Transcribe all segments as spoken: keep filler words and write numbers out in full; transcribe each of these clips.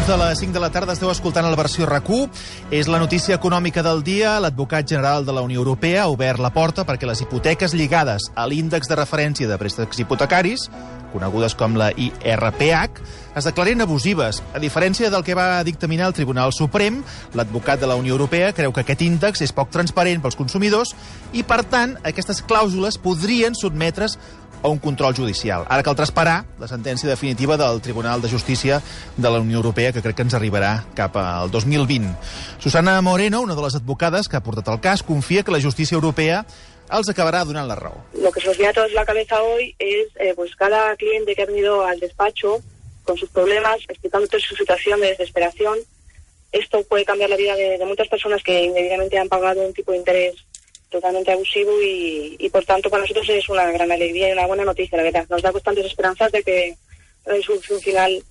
minuts de les cinc de la tarda esteu escoltant la versió RAC u. És la notícia econòmica del dia. L'advocat general de la Unió Europea ha obert la porta perquè les hipoteques lligades a l'índex de referència de préstecs hipotecaris, conegudes com la I R P H, es declaren abusives. A diferència del que va dictaminar el Tribunal Suprem, l'advocat de la Unió Europea creu que aquest índex és poc transparent pels consumidors i, per tant, aquestes clàusules podrien sotmetre's a un control judicial. Ara caldrà esperar la sentència definitiva del Tribunal de Justícia de la Unió Europea, que crec que ens arribarà cap al dos mil vint. Susana Moreno, una de les advocades que ha portat el cas, confia que la justícia europea els acabará donant la raó. Lo que se nos viene a todos la cabeza hoy es eh, pues cada cliente que ha venido al despacho con sus problemas, explicando toda su situación de desesperación. Esto puede cambiar la vida de, de muchas personas que indebidamente han pagado un tipo de interés totalmente abusivo y, y por tanto para nosotros es una gran alegría y una buena noticia, la verdad. Nos da constantes esperanzas de que la resolución final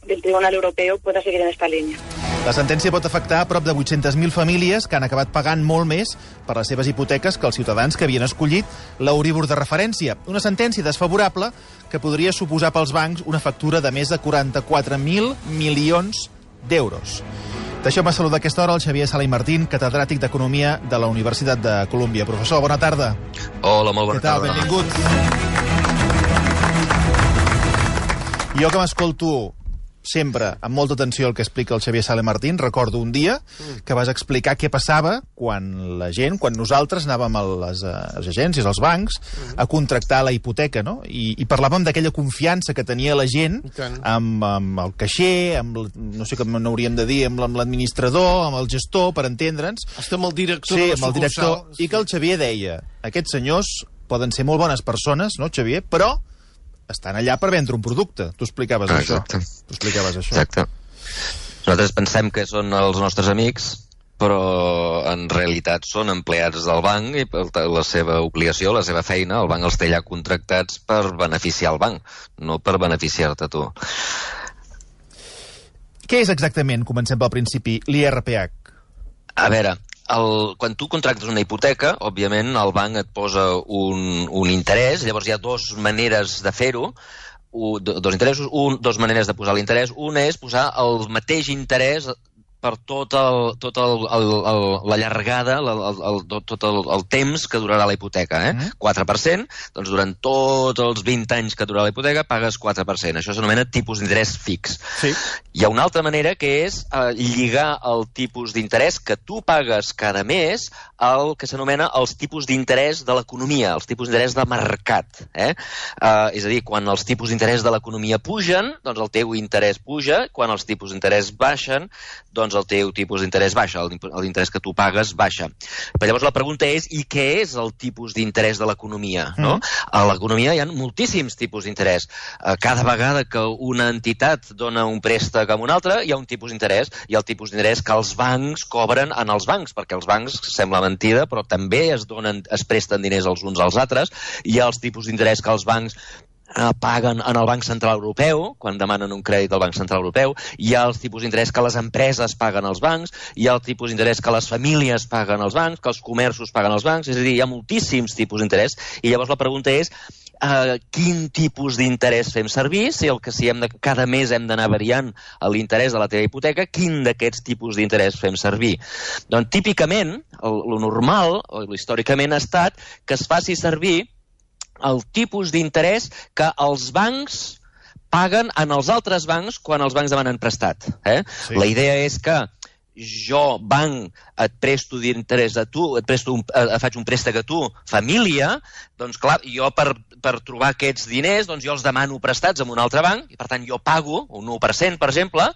del Tribunal Europeo pueda seguir en esta línia. La sentència pot afectar a prop de vuit-centes mil famílies que han acabat pagant molt més per les seves hipoteques que els ciutadans que havien escollit l'Euríbor de referència. Una sentència desfavorable que podria suposar pels bancs una factura de més de quaranta-quatre mil milions d'euros. Deixeu-me saludar a aquesta hora el Xavier Sala i Martín, catedràtic d'Economia de la Universitat de Colúmbia. Professor, bona tarda. Hola, molt bona tarda. Què tal? Benvingut. Jo que m'escolto sempre amb molta atenció el que explica el Xavier Sala i Martín, recordo un dia que vas explicar què passava quan la gent, quan nosaltres anàvem a les, a les agències, als bancs, a contractar la hipoteca, no? I, i parlàvem d'aquella confiança que tenia la gent amb, amb el caixer, amb, no sé com n'hauríem de dir, amb l'administrador, amb el gestor, per entendre'ns. Hasta amb el director sí, de la amb el director, sucursal. I que el Xavier deia, aquests senyors poden ser molt bones persones, no, Xavier? Però estan allà per vendre un producte. Tu explicaves ah, això. Tu explicaves això. Exacte. Nosaltres pensem que són els nostres amics, però en realitat són empleats del banc i la seva obligació, la seva feina, el banc els té allà contractats per beneficiar el banc, no per beneficiar-te tu. Què és exactament, comencem pel principi, l'I R P H? A veure, el, quan tu contractes una hipoteca, òbviament el banc et posa un, un interès, llavors hi ha dues maneres de fer-ho, dos interessos, un, dos maneres de posar l'interès. Una és posar el mateix interès per tot, el, tot el, el, el, la llargada, el, el, tot el, el temps que durarà la hipoteca. Eh? Mm. quatre per cent, doncs durant tots els vint anys que durarà la hipoteca pagues quatre per cent. Això s'anomena tipus d'interès fix. Sí. Hi ha una altra manera que és eh, lligar el tipus d'interès que tu pagues cada mes al que s'anomena els tipus d'interès de l'economia, els tipus d'interès de mercat. Eh? Eh, és a dir, quan els tipus d'interès de l'economia pugen, doncs el teu interès puja, quan els tipus d'interès baixen, doncs el teu tipus d'interès baixa, l'interès que tu pagues baixa. Però llavors la pregunta és, i què és el tipus d'interès de l'economia? No? Mm. A l'economia hi ha moltíssims tipus d'interès. Cada vegada que una entitat dona un préstec a una altra, hi ha un tipus d'interès, i el tipus d'interès que els bancs cobren en els bancs, perquè els bancs, sembla mentida, però també es donen, es presten diners els uns als altres, hi ha els tipus d'interès que els bancs paguen en el Banc Central Europeu, quan demanen un crèdit al Banc Central Europeu, hi ha els tipus d'interès que les empreses paguen als bancs, hi ha el tipus d'interès que les famílies paguen als bancs, que els comerços paguen als bancs, és a dir, hi ha moltíssims tipus d'interès, i llavors la pregunta és uh, quin tipus d'interès fem servir, si el que si hem de, cada mes hem d'anar variant l'interès de la teva hipoteca, quin d'aquests tipus d'interès fem servir? Doncs típicament, el, el normal, o històricament ha estat que es faci servir el tipus d'interès que els bancs paguen en els altres bancs quan els bancs demanen prestat. Eh? Sí. La idea és que jo, banc, et presto d'interès a tu, et presto un, et faig un préstec a tu, família, doncs clar, jo per, per trobar aquests diners, doncs jo els demano prestats en un altre banc, i per tant jo pago un u per cent, per exemple,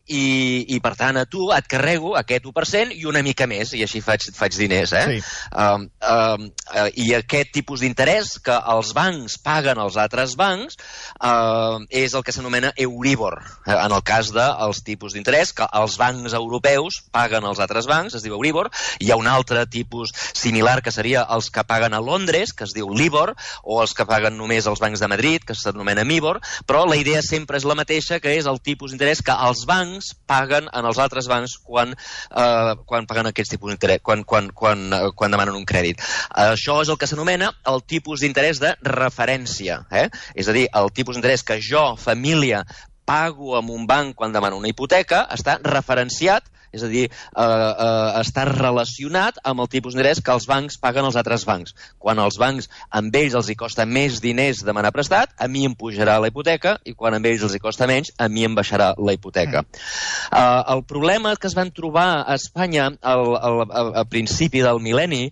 I, i per tant a tu et carrego aquest u per cent i una mica més, i així faig, faig diners. Eh? Sí. Um, um, uh, I aquest tipus d'interès que els bancs paguen als altres bancs uh, és el que s'anomena Euríbor, eh? En el cas dels tipus d'interès que els bancs europeus paguen als altres bancs, es diu Euríbor. Hi ha un altre tipus similar que seria els que paguen a Londres, que es diu Libor, o els que paguen només els bancs de Madrid, que s'anomena Mibor, però la idea sempre és la mateixa, que és el tipus d'interès que els bancs paguen en els altres bancs quan, eh, quan paguen aquests tipus d'interès, quan, quan, quan, eh, quan demanen un crèdit. Això és el que s'anomena el tipus d'interès de referència. Eh? És a dir, el tipus d'interès que jo, família, pago amb un banc quan demano una hipoteca està referenciat, és a dir, eh, eh, està relacionat amb el tipus d'interès que els bancs paguen als altres bancs. Quan els bancs, amb ells els hi costa més diners demanar prestat, a mi em pujarà la hipoteca, i quan amb ells els hi costa menys, a mi em baixarà la hipoteca. Mm. Eh, el problema que es van trobar a Espanya al, al, al, al principi del mil·lenni,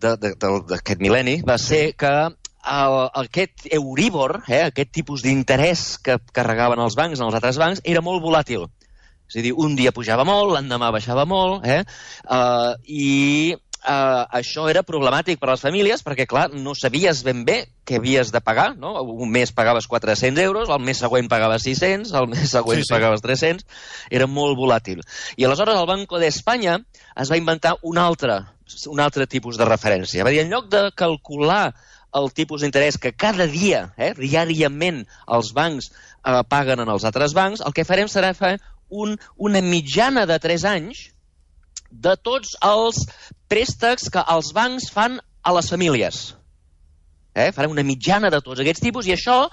d'aquest mil·lenni, va ser que el, aquest Euribor, eh, aquest tipus d'interès que carregaven els bancs en els altres bancs, era molt volàtil. És a dir, un dia pujava molt, l'endemà baixava molt, eh? Uh, i uh, això era problemàtic per a les famílies perquè, clar, no sabies ben bé què havies de pagar, no? Un mes pagaves quatre-cents euros, el mes següent pagaves sis-cents, el mes següent sí, sí. pagaves tres-cents, era molt volàtil. I aleshores el Banco d'Espanya es va inventar un altre, un altre tipus de referència. Va dir, en lloc de calcular el tipus d'interès que cada dia, eh, diàriament, els bancs eh, paguen en els altres bancs, el que farem serà fer un, una mitjana de tres anys de tots els préstecs que els bancs fan a les famílies. Eh? Farem una mitjana de tots aquests tipus i això,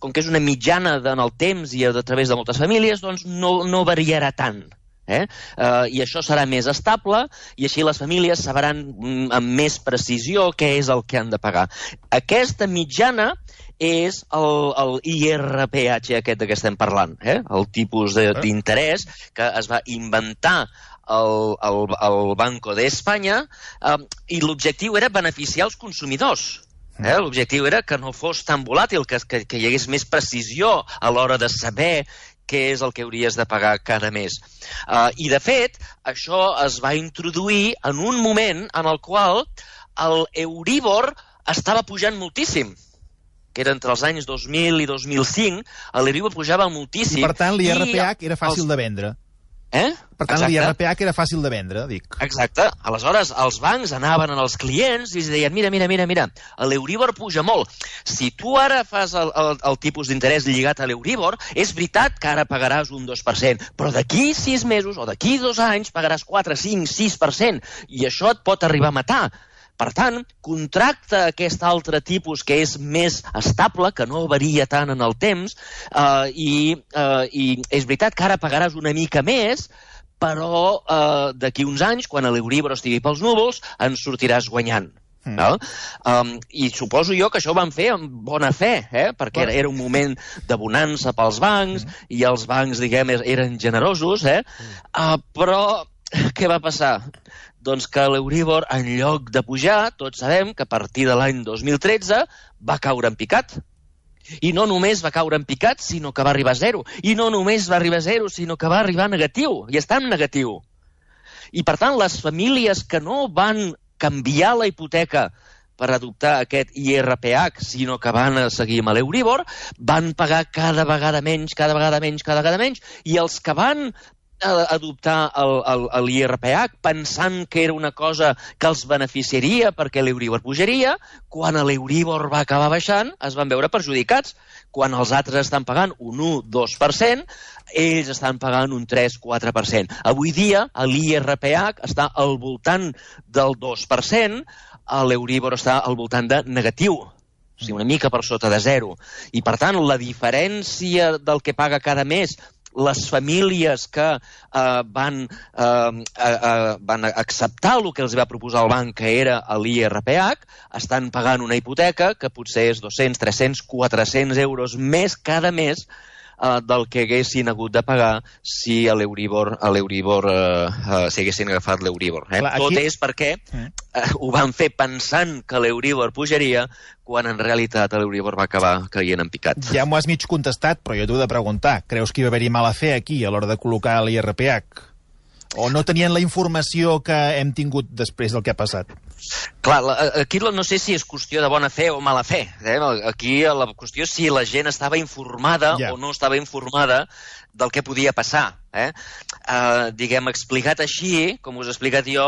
com que és una mitjana en el temps i a través de moltes famílies, doncs no, no variarà tant. Eh? Uh, I això serà més estable i així les famílies sabran mm, amb més precisió què és el que han de pagar. Aquesta mitjana és el, el I R P H aquest de què estem parlant, eh? El tipus d'interès que es va inventar el, el, el Banco d'Espanya eh, i l'objectiu era beneficiar els consumidors. Eh? L'objectiu era que no fos tan volàtil, que, que, que hi hagués més precisió a l'hora de saber què és el que hauries de pagar cada mes. Uh, I, de fet, això es va introduir en un moment en el qual el Euribor estava pujant moltíssim, que era entre els anys dos mil i dos mil cinc, l'Euribor pujava moltíssim. I, per tant, l'I R P H era fàcil els... de vendre. Eh? Per tant, l'I R P H era fàcil de vendre, dic. Exacte. Aleshores, els bancs anaven als clients i els deien, mira, mira, mira, mira, l'Euribor puja molt. Si tu ara fas el, el, el tipus d'interès lligat a l'Euribor, és veritat que ara pagaràs un dos per cent, però d'aquí sis mesos o d'aquí dos anys pagaràs quatre, cinc, sis per cent, i això et pot arribar a matar. Per tant, contracta aquest altre tipus que és més estable, que no varia tant en el temps, eh, i, eh, i és veritat que ara pagaràs una mica més, però eh, d'aquí uns anys, quan l'Euribor estigui pels núvols, en sortiràs guanyant. Mm. No? Um, I suposo jo que això ho van fer amb bona fe, eh? Perquè era, era un moment de bonança pels bancs, mm. i els bancs, diguem, eren generosos, eh? Uh, però què va passar? Doncs que l'Euribor, en lloc de pujar, tots sabem que a partir de l'any dos mil tretze va caure en picat. I no només va caure en picat, sinó que va arribar a zero. I no només va arribar a zero, sinó que va arribar a negatiu. I està en negatiu. I, per tant, les famílies que no van canviar la hipoteca per adoptar aquest I R P H, sinó que van seguir amb l'Euribor, van pagar cada vegada menys, cada vegada menys, cada vegada menys, i els que van adoptar l'I R P H pensant que era una cosa que els beneficiaria perquè l'Euribor pujaria, quan l'Euribor va acabar baixant es van veure perjudicats. Quan els altres estan pagant un u dos per cent, ells estan pagant un tres quatre per cent. Avui dia l'I R P H està al voltant del dos per cent, l'Euribor està al voltant de negatiu, o sigui, una mica per sota de zero. I per tant, la diferència del que paga cada mes les famílies que eh, van, eh, eh, van acceptar el que els va proposar el banc, que era l'I R P H, estan pagant una hipoteca que potser és dos-cents, tres-cents, quatre-cents euros més cada mes eh, del que haguessin hagut de pagar si a l'Euribor, a l'Euribor eh, eh, si haguessin agafat l'Euribor. Eh? Clar, aquí... Tot és perquè eh, ho van fer pensant que l'Euribor pujaria, quan en realitat l'Euribor va acabar caient en picat. Ja m'ho has mig contestat, però jo t'ho he de preguntar. Creus que hi va haver-hi mala fe aquí a l'hora de col·locar l'I R P H? O no tenien la informació que hem tingut després del que ha passat? Clar, aquí no sé si és qüestió de bona fe o mala fe. Eh? Aquí la qüestió és si la gent estava informada ja. o no estava informada del que podia passar. Eh? Uh, diguem, explicat així, com us he explicat jo,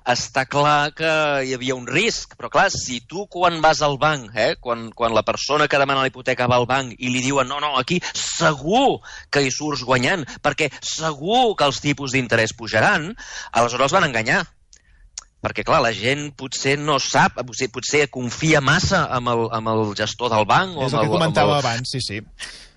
està clar que hi havia un risc, però clar, si tu quan vas al banc, eh, quan, quan la persona que demana la hipoteca va al banc i li diuen no, no, aquí segur que hi surts guanyant, perquè segur que els tipus d'interès pujaran, aleshores els van enganyar. perquè, clar, la gent potser no sap, potser, potser confia massa amb el, amb el gestor del banc. És el que comentava abans, sí, sí.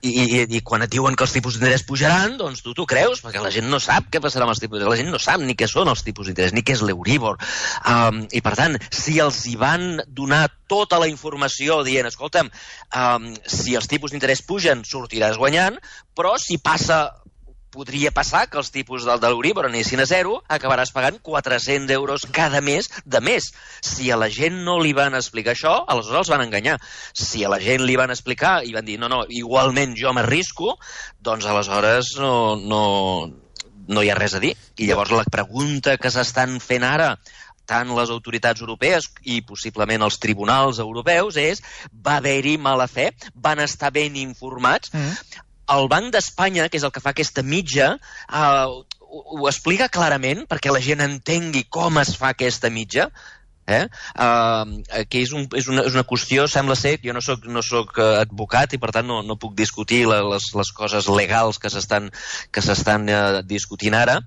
I, i, I quan et diuen que els tipus d'interès pujaran, doncs tu t'ho creus, perquè la gent no sap què passarà amb els tipus d'interès, la gent no sap ni què són els tipus d'interès, ni què és l'Euríbor. Um, I, per tant, si els hi van donar tota la informació dient, escolta'm, um, si els tipus d'interès pugen, sortiràs guanyant, però si passa... podria passar que els tipus del de l'Euríbor anessin a zero, acabaràs pagant quatre-cents euros cada mes de més. Si a la gent no li van explicar això, aleshores els van enganyar. Si a la gent li van explicar i van dir, no, no, igualment jo m'arrisco, doncs aleshores no, no, no hi ha res a dir. I llavors la pregunta que s'estan fent ara tant les autoritats europees i possiblement els tribunals europeus és, va haver-hi mala fe? Van estar ben informats? Mm. El Banc d'Espanya, que és el que fa aquesta mitja, eh, ho, ho explica clarament perquè la gent entengui com es fa aquesta mitja, eh? Uh, que és, un, és, una, és una qüestió, sembla ser, jo no soc, no soc advocat i per tant no, no puc discutir la, les, les coses legals que s'estan que s'estan uh, discutint ara,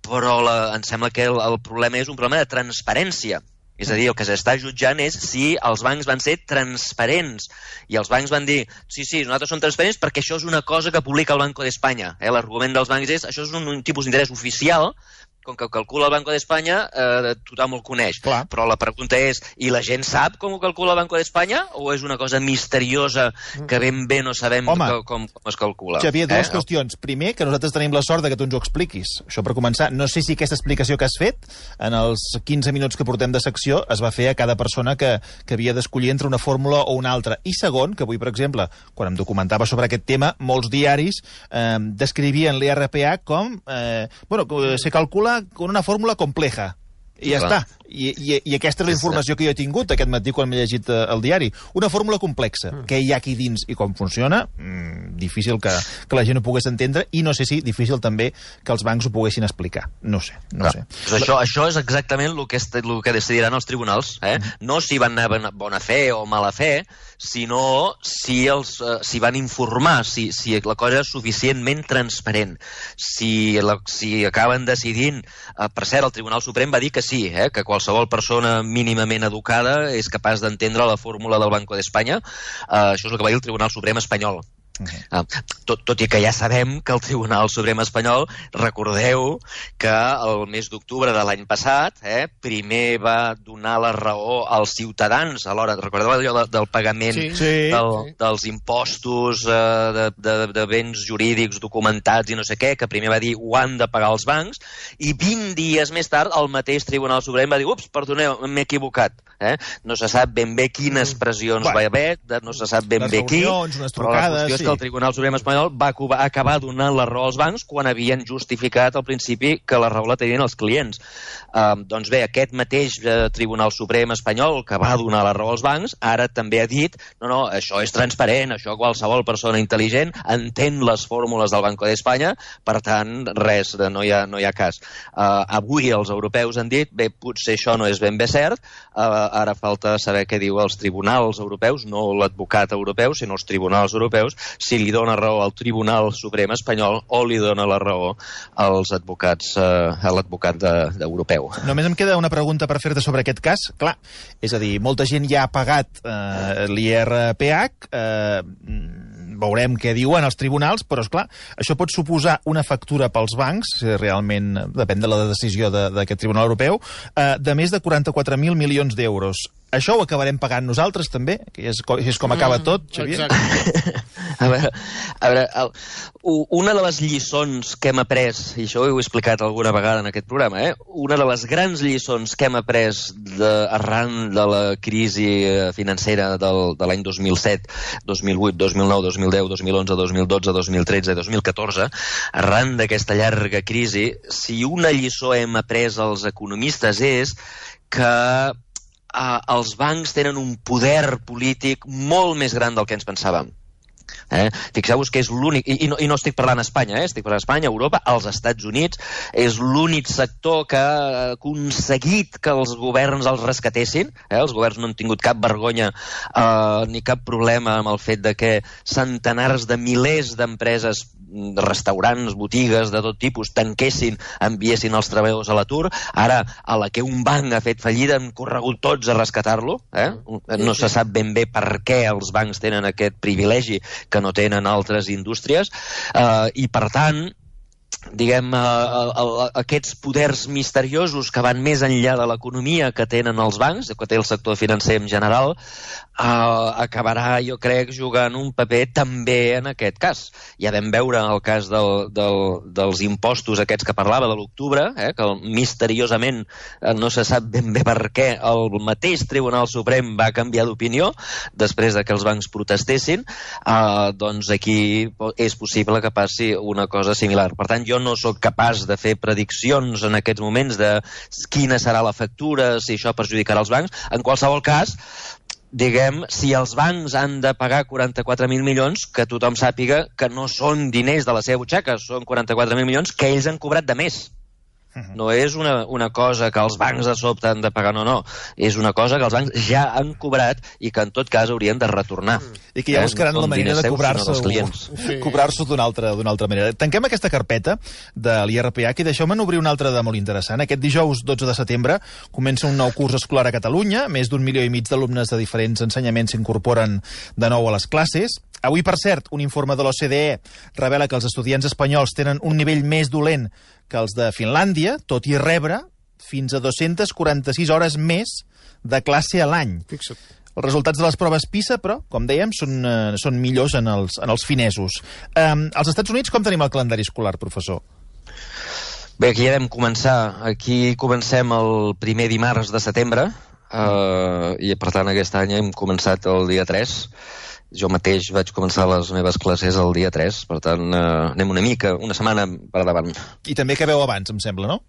però la, em sembla que el, el problema és un problema de transparència. És a dir, el que s'està jutjant és si els bancs van ser transparents. I els bancs van dir, sí, sí, nosaltres som transparents perquè això és una cosa que publica el Banco d'Espanya. Eh? L'argument dels bancs és, això és un, un tipus d'interès oficial, com que ho calcula el Banco d'Espanya, eh, tothom el coneix. Clar. Però la pregunta és, i la gent sap com ho calcula el Banco d'Espanya? O és una cosa misteriosa que ben bé no sabem Home, que, com, com es calcula? Xavier, dues eh? qüestions. Primer, que nosaltres tenim la sort de que tu ens ho expliquis. Això per començar. No sé si aquesta explicació que has fet, en els quinze minuts que portem de secció, es va fer a cada persona que, que havia d'escollir entre una fórmula o una altra. I segon, que avui, per exemple, quan em documentava sobre aquest tema, molts diaris eh, descrivien l'I R P H com... Eh, bueno, se calcula con una fórmula compleja. I ja Clar. està. I, i, I aquesta és la informació que jo he tingut aquest matí quan m'he llegit eh, el diari. Una fórmula complexa. Mm. Què hi ha aquí dins i com funciona? Mm, difícil que, que la gent ho pogués entendre i no sé si difícil també que els bancs ho poguessin explicar. No sé. No sé. Pues això, això és exactament el que, est, el que decidiran els tribunals. Eh? Mm. No si van anar bona fe o mala fe, sinó si, els, uh, si van informar, si, si la cosa és suficientment transparent. Si, la, si acaben decidint... Uh, per cert, el Tribunal Suprem va dir que sí, eh, que qualsevol persona mínimament educada és capaç d'entendre la fórmula del Banco d'Espanya. Uh, això és el que va dir el Tribunal Suprem espanyol. Okay. Uh, tot, tot i que ja sabem que el Tribunal Suprem espanyol, recordeu que el mes d'octubre de l'any passat eh, primer va donar la raó als ciutadans a l'hora, recordeu allò del pagament sí, sí, del, sí. dels impostos eh, de, de, de béns jurídics documentats i no sé què, que primer va dir ho han de pagar els bancs, i vint dies més tard el mateix Tribunal Suprem va dir ups, perdoneu, m'he equivocat. Eh? No se sap ben bé quines pressions bueno, va haver, no se sap ben bé qui, però la qüestió és que el Tribunal Suprem espanyol va acabar donant la raó als bancs quan havien justificat al principi que la raó la tenien els clients. Uh, doncs bé, aquest mateix uh, Tribunal Suprem espanyol que va donar la raó als bancs, ara també ha dit no, no, això és transparent, això qualsevol persona intel·ligent entén les fórmules del Banco d'Espanya, per tant, res, no hi ha, no hi ha cas. Uh, avui els europeus han dit, bé, potser això no és ben bé cert, uh, ara falta saber què diu els tribunals europeus, no l'advocat europeu, sinó els tribunals europeus, si li dona raó al Tribunal Suprem espanyol o li dona la raó als advocats, eh, a l'advocat de, d'europeu. Només em queda una pregunta per fer-te sobre aquest cas. Clar, és a dir, molta gent ja ha pagat eh, l'I R P H, eh, veurem què diuen els tribunals, però, esclar, això pot suposar una factura pels bancs, si realment depèn de la decisió de, d'aquest Tribunal Europeu, eh, de més de quaranta-quatre mil milions d'euros. Això ho acabarem pagant nosaltres, també? Que és, és com acaba mm, tot, Xavier? Exacte. A veure, a veure el, una de les lliçons que hem après, i això ho he explicat alguna vegada en aquest programa, eh? Una de les grans lliçons que hem après de, arran de la crisi financera del, de l'any dos mil set, dos mil vuit, dos mil nou, dos mil deu, dos mil onze, dos mil dotze, dos mil tretze i dos mil catorze, arran d'aquesta llarga crisi, si una lliçó hem après als economistes és que Uh, els bancs tenen un poder polític molt més gran del que ens pensàvem. Eh? Fixeu-vos que és l'únic, i, i, no, i no estic parlant a Espanya, eh? Estic parlant a Espanya, Europa, als Estats Units, és l'únic sector que ha aconseguit que els governs els rescatessin. Eh? Els governs no han tingut cap vergonya eh, ni cap problema amb el fet de que centenars de milers d'empreses restaurants, botigues de tot tipus tanquessin, enviessin els treballadors a l'atur. Ara, a la que un banc ha fet fallida, han corregut tots a rescatar-lo. Eh? No se sap ben bé per què els bancs tenen aquest privilegi que no tenen altres indústries, eh, i per tant, diguem, uh, aquests poders misteriosos que van més enllà de l'economia que tenen els bancs, que té el sector financer en general, uh, acabarà, jo crec, jugant un paper també en aquest cas. Ja vam veure el cas del, del, dels impostos aquests que parlava de l'octubre, eh, que misteriosament eh, no se sap ben bé per què el mateix Tribunal Suprem va canviar d'opinió després de que els bancs protestessin. Uh, doncs aquí és possible que passi una cosa similar. Per tant, jo no sóc capaç de fer prediccions en aquests moments de quina serà la factura, si això perjudicarà els bancs. En qualsevol cas, diguem, si els bancs han de pagar quaranta-quatre mil milions, que tothom sàpiga que no són diners de la seva butxaca, són quaranta-quatre mil milions que ells han cobrat de més. No és una, una cosa que els bancs de sobte han de pagar, no, no. És una cosa que els bancs ja han cobrat i que en tot cas haurien de retornar. I que ja buscaran eh? no la manera de cobrar-se sí. cobrar-se d'una altra, d'una altra manera. Tanquem aquesta carpeta de l'I R P H i deixeu-me obrir una altra de molt interessant. Aquest dijous dotze de setembre comença un nou curs escolar a Catalunya. Més d'un milió i mig d'alumnes de diferents ensenyaments s'incorporen de nou a les classes. Avui, per cert, un informe de l'O C D E revela que els estudiants espanyols tenen un nivell més dolent que els de Finlàndia, tot i rebre fins a dues-centes quaranta-sis hores més de classe a l'any. Fixa't. Els resultats de les proves PISA, però, com dèiem, són, eh, són millors en els, en els finesos. Eh, als Estats Units, com tenim el calendari escolar, professor? Bé, aquí ja vam començar. Aquí comencem el primer dimarts de setembre, eh, i per tant aquest any hem començat el dia tres. Jo mateix vaig començar les meves classes el dia tres, per tant, eh, anem una mica, una setmana per davant. I també acabeu abans, em sembla, no?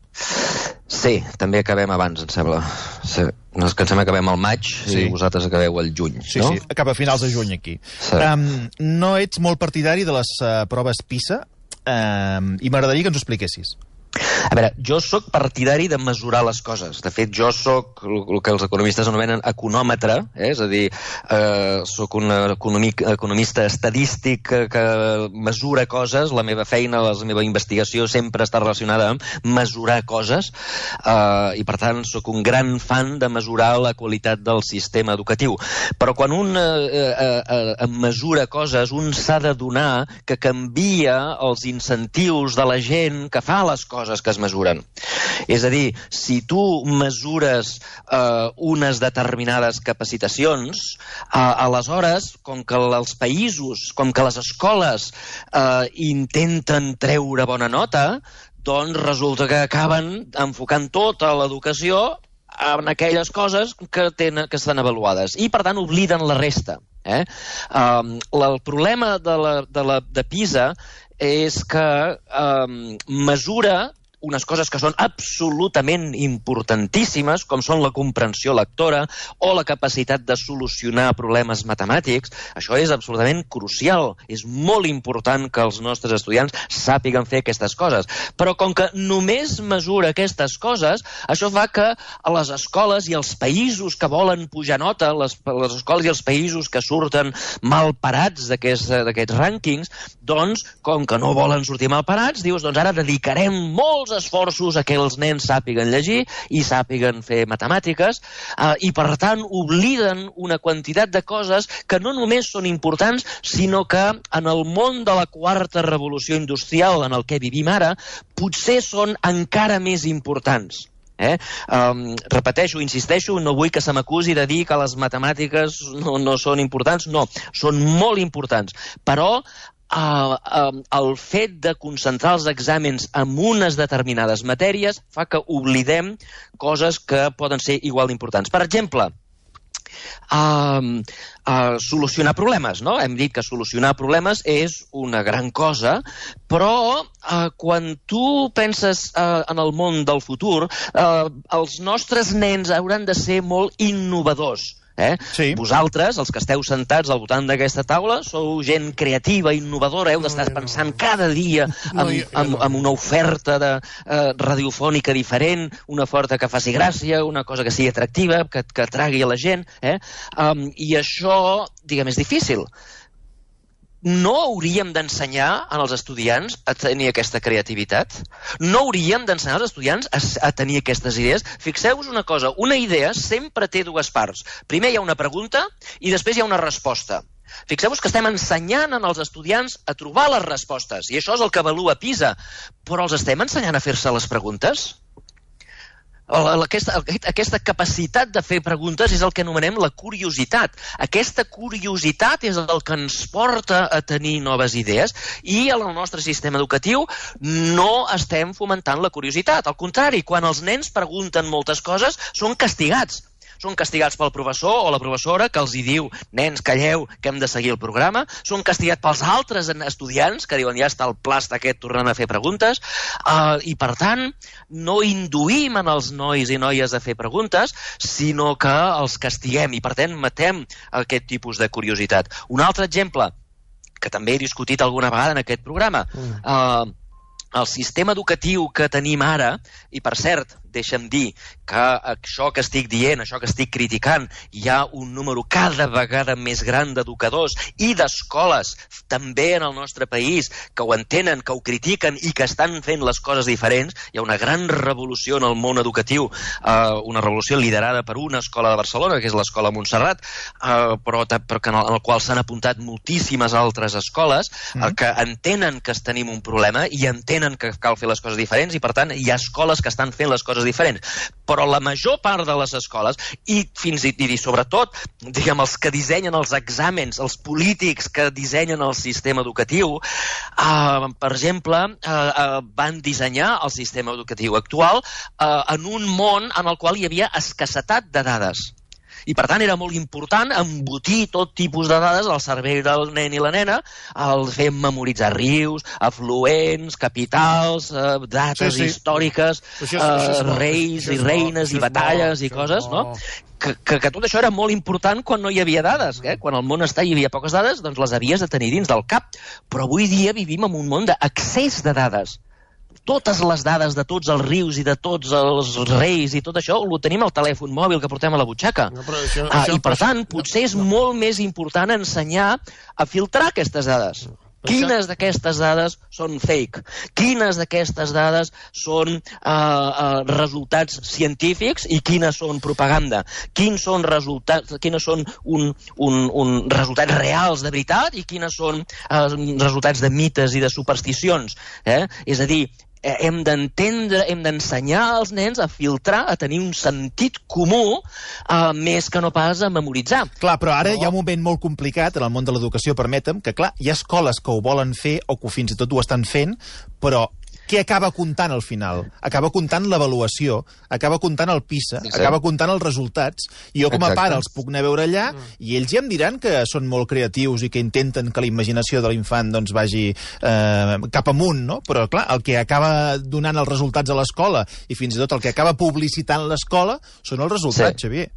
Sí, també acabem abans, em sembla. Sí. No és que em sembla que acabem al maig sí. i vosaltres acabeu al juny, sí, no? Sí, sí, acaba a finals de juny aquí. Sí. Um, no ets molt partidari de les uh, proves PISA um, i m'agradaria que ens ho expliquessis. A veure, jo sóc partidari de mesurar les coses. De fet, jo sóc el que els economistes anomenen econòmetre, eh? És a dir, eh, sóc un economic, economista estadístic que, que mesura coses. La meva feina, la meva investigació sempre està relacionada amb mesurar coses, eh, i per tant sóc un gran fan de mesurar la qualitat del sistema educatiu. Però quan un eh, eh, eh, mesura coses, un s'ha de donar que canvia els incentius de la gent que fa les coses que es mesuren. És a dir, si tu mesures eh, unes determinades capacitacions, eh, aleshores, com que els països, com que les escoles eh, intenten treure bona nota, doncs resulta que acaben enfocant tota l'educació en aquelles coses que, tenen, que estan avaluades i, per tant, obliden la resta. Eh? Um, el problema de, la, de, la, de PISA és que um, mesura unes coses que són absolutament importantíssimes, com són la comprensió lectora o la capacitat de solucionar problemes matemàtics. Això és absolutament crucial. És molt important que els nostres estudiants sàpiguen fer aquestes coses. Però com que només mesura aquestes coses, això fa que a les escoles i els països que volen pujar nota, les, les escoles i els països que surten mal parats d'aquests d'aquests rànquings, doncs, com que no volen sortir mal parats, dius, doncs ara dedicarem molts esforços a que els nens sàpiguen llegir i sàpiguen fer matemàtiques, eh, i per tant obliden una quantitat de coses que no només són importants, sinó que en el món de la quarta revolució industrial en el que vivim ara, potser són encara més importants. Eh? Um, repeteixo, insisteixo, no vull que se m'acusi de dir que les matemàtiques no, no són importants, no, són molt importants, però Uh, uh, el fet de concentrar els exàmens en unes determinades matèries fa que oblidem coses que poden ser igual d'importants. Per exemple, uh, uh, solucionar problemes, no? Hem dit que solucionar problemes és una gran cosa, però uh, quan tu penses uh, en el món del futur, uh, els nostres nens hauran de ser molt innovadors. Eh? Sí. Vosaltres, els que esteu sentats al voltant d'aquesta taula, sou gent creativa, innovadora, heu d'estar no, pensant no. cada dia en, no, jo, jo no. en una oferta de, uh, radiofònica diferent, una oferta que faci gràcia, una cosa que sigui atractiva, que, que atragui a la gent, eh? um, i això, diguem, és difícil. no hauríem d'ensenyar als estudiants a tenir aquesta creativitat? No hauríem d'ensenyar als estudiants a, a tenir aquestes idees? Fixeu-vos una cosa, una idea sempre té dues parts. Primer hi ha una pregunta i després hi ha una resposta. Fixeu-vos que estem ensenyant als estudiants a trobar les respostes, i això és el que avalua PISA, però els estem ensenyant a fer-se les preguntes? Aquesta, aquesta capacitat de fer preguntes és el que anomenem la curiositat. Aquesta curiositat és el que ens porta a tenir noves idees, i en el nostre sistema educatiu no estem fomentant la curiositat. Al contrari, quan els nens pregunten moltes coses, són castigats. Són castigats pel professor o la professora que els hi diu: nens, calleu, que hem de seguir el programa. Són castigats pels altres estudiants que diuen: ja està el plast aquest tornant a fer preguntes. Uh, I, per tant, no induïm en els nois i noies a fer preguntes, sinó que els castiguem i, per tant, matem aquest tipus de curiositat. Un altre exemple, que també he discutit alguna vegada en aquest programa, mm. uh, el sistema educatiu que tenim ara, i per cert, deixa'm dir que això que estic dient, això que estic criticant, hi ha un número cada vegada més gran d'educadors i d'escoles, també en el nostre país, que ho entenen, que ho critiquen i que estan fent les coses diferents. Hi ha una gran revolució en el món educatiu, eh, una revolució liderada per una escola de Barcelona, que és l'escola Montserrat, eh, però, però que en el, en el qual s'han apuntat moltíssimes altres escoles mm. eh, que entenen que tenim un problema i entenen que cal fer les coses diferents, i per tant hi ha escoles que estan fent les coses diferents, però la major part de les escoles, i fins i, i sobretot, diguem, els que dissenyen els exàmens, els polítics que dissenyen el sistema educatiu, eh, per exemple, eh, eh, van dissenyar el sistema educatiu actual eh, en un món en el qual hi havia escassetat de dades. I, per tant, era molt important embotir tot tipus de dades al cervell del nen i la nena, el fer memoritzar rius, afluents, capitals, eh, dates sí, sí. històriques, això és, eh, això és reis i reines i batalles i coses, no? Que, que, que tot això era molt important quan no hi havia dades. Eh? Quan al món està hi havia poques dades, doncs les havies de tenir dins del cap. Però avui dia vivim en un món d'accés de dades. Totes les dades de tots els rius i de tots els reis i tot això ho tenim al telèfon mòbil que portem a la butxaca. No, això, ah, això, I, per tant, potser és no. molt més important ensenyar a filtrar aquestes dades. Quines d'aquestes dades són fake? Quines d'aquestes dades són uh, uh, resultats científics i quines són propaganda? Quins són resultats, quines són un, un, un resultats reals de veritat i quines són uh, resultats de mites i de supersticions? Eh? És a dir, hem d'entendre, hem d'ensenyar als nens a filtrar, a tenir un sentit comú, eh, més que no pas a memoritzar. Clar, però ara hi ha un moment molt complicat en el món de l'educació, permetem, que clar, hi ha escoles que ho volen fer o que fins i tot ho estan fent, però què acaba comptant al final? Acaba comptant l'avaluació, acaba comptant el PISA, sí, sí. acaba comptant els resultats, i jo com a Exacte. pare els puc anar a veure allà, mm. i ells ja em diran que són molt creatius i que intenten que la imaginació de l'infant doncs, vagi eh, cap amunt, no? Però clar, el que acaba donant els resultats a l'escola i fins i tot el que acaba publicitant l'escola són els resultats, sí. Xavier.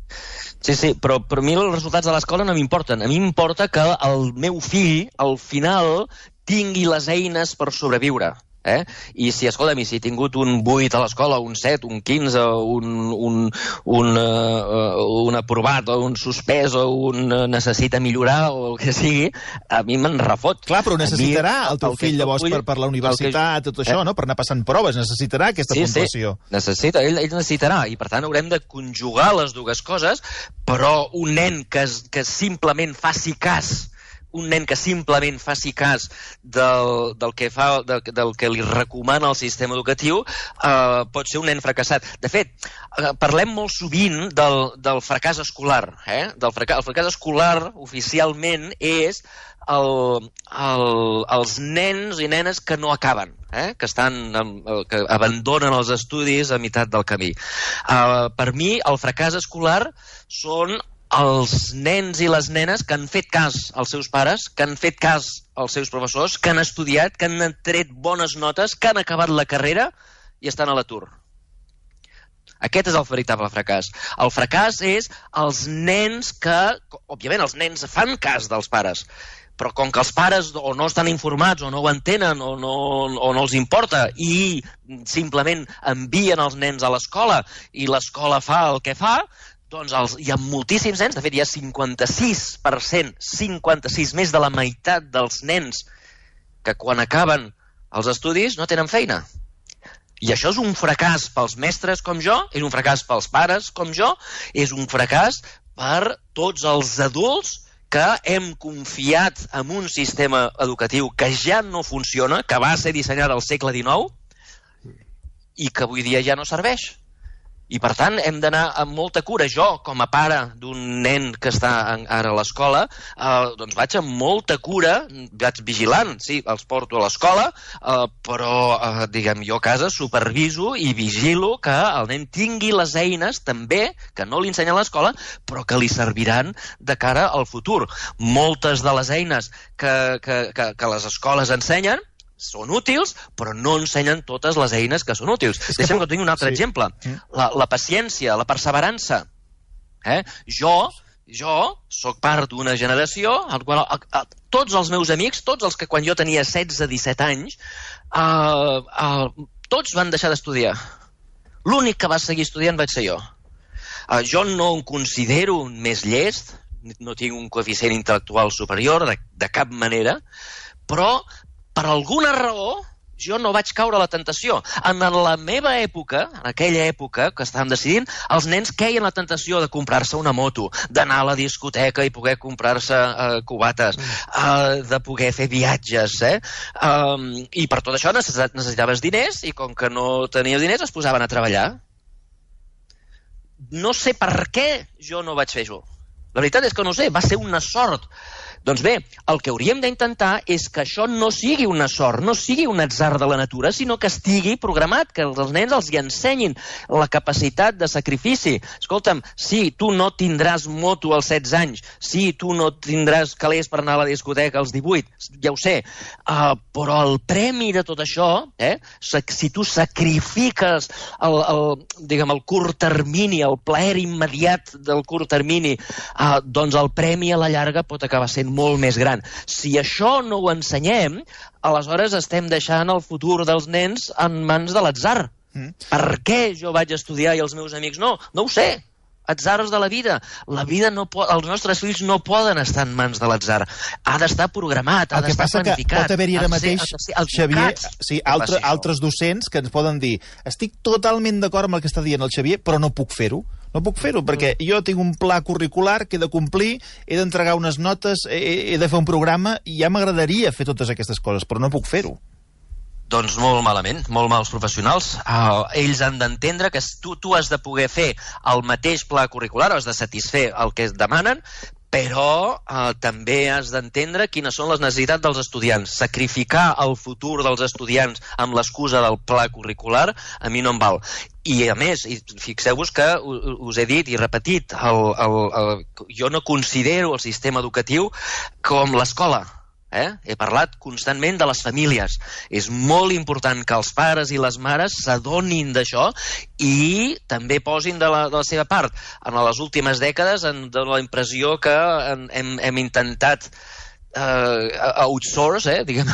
Sí, sí, però per mi els resultats de l'escola no m'importen. A mi m'importa que el meu fill, al final, tingui les eines per sobreviure. Eh? I si, escolta'm, si he tingut un vuit a l'escola, un set, un quinze, un, un, un, uh, un aprovat, o un suspès, o un uh, necessita millorar, o el que sigui, a mi me'n refot. Clar, però necessitarà mi, el teu el fill llavors vull, per, per la universitat, que... tot això, eh? no? Per anar passant proves, necessitarà aquesta sí, puntuació. Sí, necessita, ell, ell necessitarà, i per tant haurem de conjugar les dues coses, però un nen que, que simplement faci cas un nen que simplement faci cas del, del, que, fa, del, del que li recomana el sistema educatiu eh, pot ser un nen fracassat. De fet, eh, parlem molt sovint del, del fracàs escolar. Eh? Del fracàs, el fracàs escolar oficialment és el, el, els nens i nenes que no acaben, eh? que, estan, que abandonen els estudis a meitat del camí. Eh, per mi, el fracàs escolar són els nens i les nenes que han fet cas als seus pares, que han fet cas als seus professors, que han estudiat, que han tret bones notes, que han acabat la carrera i estan a l'atur. Aquest és el veritable fracàs. El fracàs és els nens que, òbviament, els nens fan cas dels pares, però com que els pares o no estan informats o no ho entenen o no, o no els importa i simplement envien els nens a l'escola i l'escola fa el que fa, doncs els, hi ha moltíssims nens, de fet hi ha cinquanta-sis per cent, cinquanta-sis, més de la meitat dels nens que quan acaben els estudis no tenen feina. I això és un fracàs pels mestres com jo, és un fracàs pels pares com jo, és un fracàs per tots els adults que hem confiat en un sistema educatiu que ja no funciona, que va ser dissenyat al segle dinou i que avui dia ja no serveix. I, per tant, hem d'anar amb molta cura. Jo, com a pare d'un nen que està ara a l'escola, eh, doncs vaig amb molta cura, vaig vigilant, sí, els porto a l'escola, eh, però, eh, diguem, jo a casa superviso i vigilo que el nen tingui les eines, també, que no li ensenyen a l'escola, però que li serviran de cara al futur. Moltes de les eines que, que, que, que les escoles ensenyen són útils, però no ensenyen totes les eines que són útils. Que Deixa'm que tingui un altre sí. exemple. La, la paciència, la perseverança. Eh? Jo, jo sóc part d'una generació en qual a, a, tots els meus amics, tots els que quan jo tenia setze disset anys, uh, uh, tots van deixar d'estudiar. L'únic que va seguir estudiant vaig ser jo. Uh, jo no em considero més llest, no tinc un coeficient intel·lectual superior de, de cap manera, però per alguna raó, jo no vaig caure a la tentació. En la meva època, en aquella època que estàvem decidint, els nens queien la tentació de comprar-se una moto, d'anar a la discoteca i poder comprar-se uh, cubates, uh, de poder fer viatges, eh? Um, I per tot això necessitaves diners i com que no tenies diners es posaven a treballar. No sé per què jo no vaig fer-ho. La veritat és que no sé, va ser una sort. Doncs bé, el que hauríem d'intentar és que això no sigui una sort, no sigui un atzar de la natura, sinó que estigui programat, que els nens els hi ensenyin la capacitat de sacrifici. Escolta'm, sí, tu no tindràs moto als setze anys, sí, tu no tindràs calés per anar a la discoteca als divuit, ja ho sé, uh, però el premi de tot això, eh, si tu sacrifiques el, el, diguem, el curt termini, el plaer immediat del curt termini, uh, doncs el premi a la llarga pot acabar sent molt més gran. Si això no ho ensenyem, aleshores estem deixant el futur dels nens en mans de l'atzar. Mm. Per què jo vaig estudiar i els meus amics no? No ho sé. Atzars de la vida. La vida no pot, els nostres fills no poden estar en mans de l'atzar. Ha d'estar programat, ha d'estar planificat. El que passa que pot haver-hi ara mateix, Xavier, sí, altre, altres docents que ens poden dir estic totalment d'acord amb el que està dient el Xavier, però no puc fer-ho. No puc fer-ho, perquè jo tinc un pla curricular que he de complir, he d'entregar unes notes, he, he de fer un programa, i ja m'agradaria fer totes aquestes coses, però no puc fer-ho. Doncs molt malament, molt mals professionals. Uh, ells han d'entendre que tu, tu has de poder fer el mateix pla curricular, has de satisfer el que es demanen, però eh, també has d'entendre quines són les necessitats dels estudiants. Sacrificar el futur dels estudiants amb l'excusa del pla curricular a mi no em val. I a més, fixeu-vos que us he dit i repetit, el, el, el, jo no considero el sistema educatiu com l'escola. Eh? He parlat constantment de les famílies. És molt important que els pares i les mares s'adonin d'això i també posin de la, de la seva part. En les últimes dècades em dóna la impressió que hem, hem intentat Uh, outsource, eh, diguem,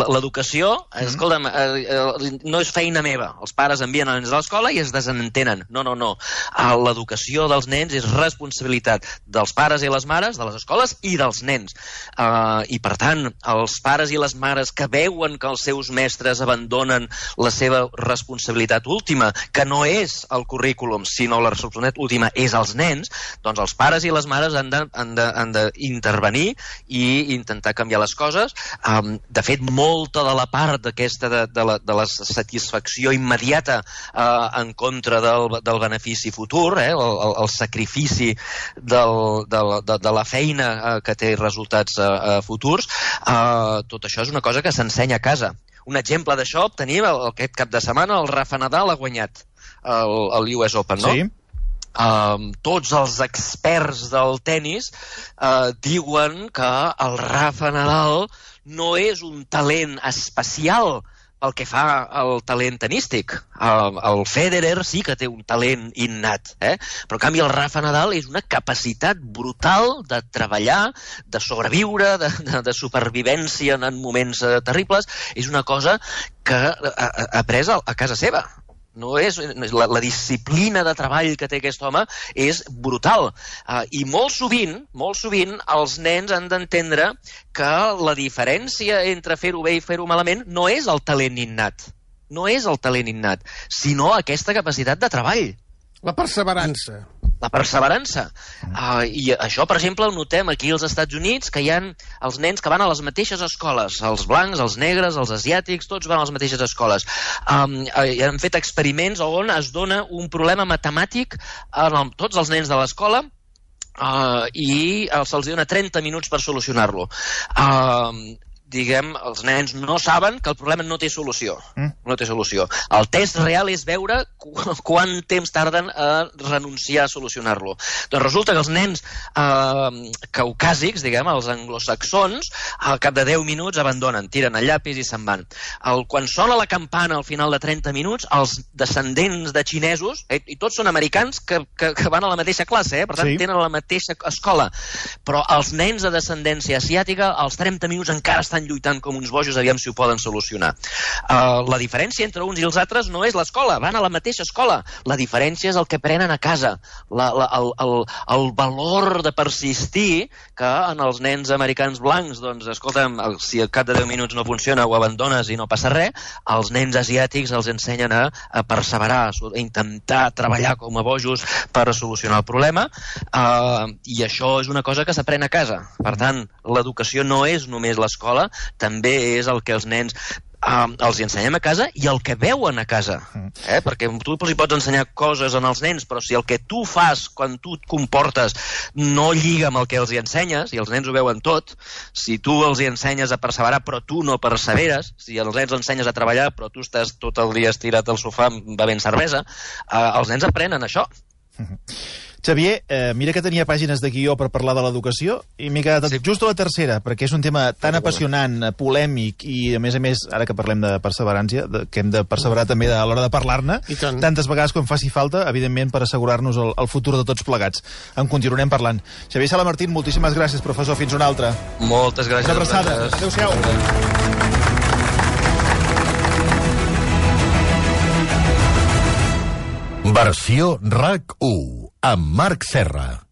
l'educació, mm-hmm. escolta'm, uh, no és feina meva. Els pares envien els nens a l'escola i es desentenen. No, no, no. Uh, l'educació dels nens és responsabilitat dels pares i les mares, de les escoles i dels nens. Uh, I, per tant, els pares i les mares que veuen que els seus mestres abandonen la seva responsabilitat última, que no és el currículum, sinó la responsabilitat última és els nens, doncs els pares i les mares han d'intervenir i intentar canviar les coses. Um, de fet, molta de la part d'aquesta de, de, la, de la satisfacció immediata uh, en contra del, del benefici futur, eh, el, el, el sacrifici del, de, de, de la feina uh, que té resultats uh, uh, futurs, uh, tot això és una cosa que s'ensenya a casa. Un exemple d'això tenim el, aquest cap de setmana, el Rafa Nadal ha guanyat el, el U S Open, no? Sí. Um, tots els experts del tennis uh, diuen que el Rafa Nadal no és un talent especial pel que fa al talent tenístic. Uh, el Federer sí que té un talent innat, eh? Però en canvi el Rafa Nadal és una capacitat brutal de treballar, de sobreviure, de, de, de supervivència en moments uh, terribles. És una cosa que ha, ha après a, a casa seva. No és, la, la disciplina de treball que té aquest home és brutal. Uh, I molt sovint, molt sovint, els nens han d'entendre que la diferència entre fer-ho bé i fer-ho malament no és el talent innat, no és el talent innat, sinó aquesta capacitat de treball. La perseverança. La perseverança. Uh, I això, per exemple, ho notem aquí als Estats Units, que hi ha els nens que van a les mateixes escoles, els blancs, els negres, els asiàtics, tots van a les mateixes escoles. Um, uh, han fet experiments on es dona un problema matemàtic a tots els nens de l'escola uh, i uh, se'ls dona trenta minuts per solucionar-lo. Uh, diguem, els nens no saben que el problema no té solució. Mm. No té solució. El test real és veure qu quant temps tarden a renunciar a solucionar-lo. Doncs resulta que els nens eh, caucàsics, diguem, els anglosaxons, al cap de deu minuts abandonen, tiren el llapis i se'n van. El, quan sona la campana al final de trenta minuts, els descendents de xinesos, eh, i tots són americans que, que, que van a la mateixa classe, eh, per tant, sí, tenen la mateixa escola, però els nens de descendència asiàtica, als trenta minuts encara estan lluitant com uns bojos, aviam si ho poden solucionar. Uh, la diferència entre uns i els altres no és l'escola, van a la mateixa escola. La diferència és el que aprenen a casa, la, la, el, el, el valor de persistir, que en els nens americans blancs, doncs, escolta'm, si al cap de deu minuts no funciona, ho abandones i no passa res, els nens asiàtics els ensenyen a, a perseverar, a intentar treballar com a bojos per solucionar el problema, uh, i això és una cosa que s'aprèn a casa. Per tant, l'educació no és només l'escola, també és el que els nens uh, els ensenyem a casa i el que veuen a casa. Eh? Perquè tu els pots ensenyar coses als nens, però si el que tu fas quan tu et comportes no lliga amb el que els hi ensenyes, i els nens ho veuen tot, si tu els hi ensenyes a perseverar però tu no perseveres, si els nens els ensenyes a treballar però tu estàs tot el dia estirat al sofà bevent cervesa, uh, els nens aprenen això. Xavier, eh, mira que tenia pàgines de guió per parlar de l'educació i m'he quedat sí. just a la tercera, perquè és un tema tan apassionant, polèmic i, a més a més, ara que parlem de perseverància, de, que hem de perseverar també a l'hora de parlar-ne, tantes vegades com faci falta, evidentment, per assegurar-nos el, el futur de tots plegats. En continuarem parlant. Xavier Salamartín, moltíssimes gràcies, professor. Fins una altra. Moltes gràcies. Una abraçada. Adéu-siau. Versió RAC u amb Marc Serra.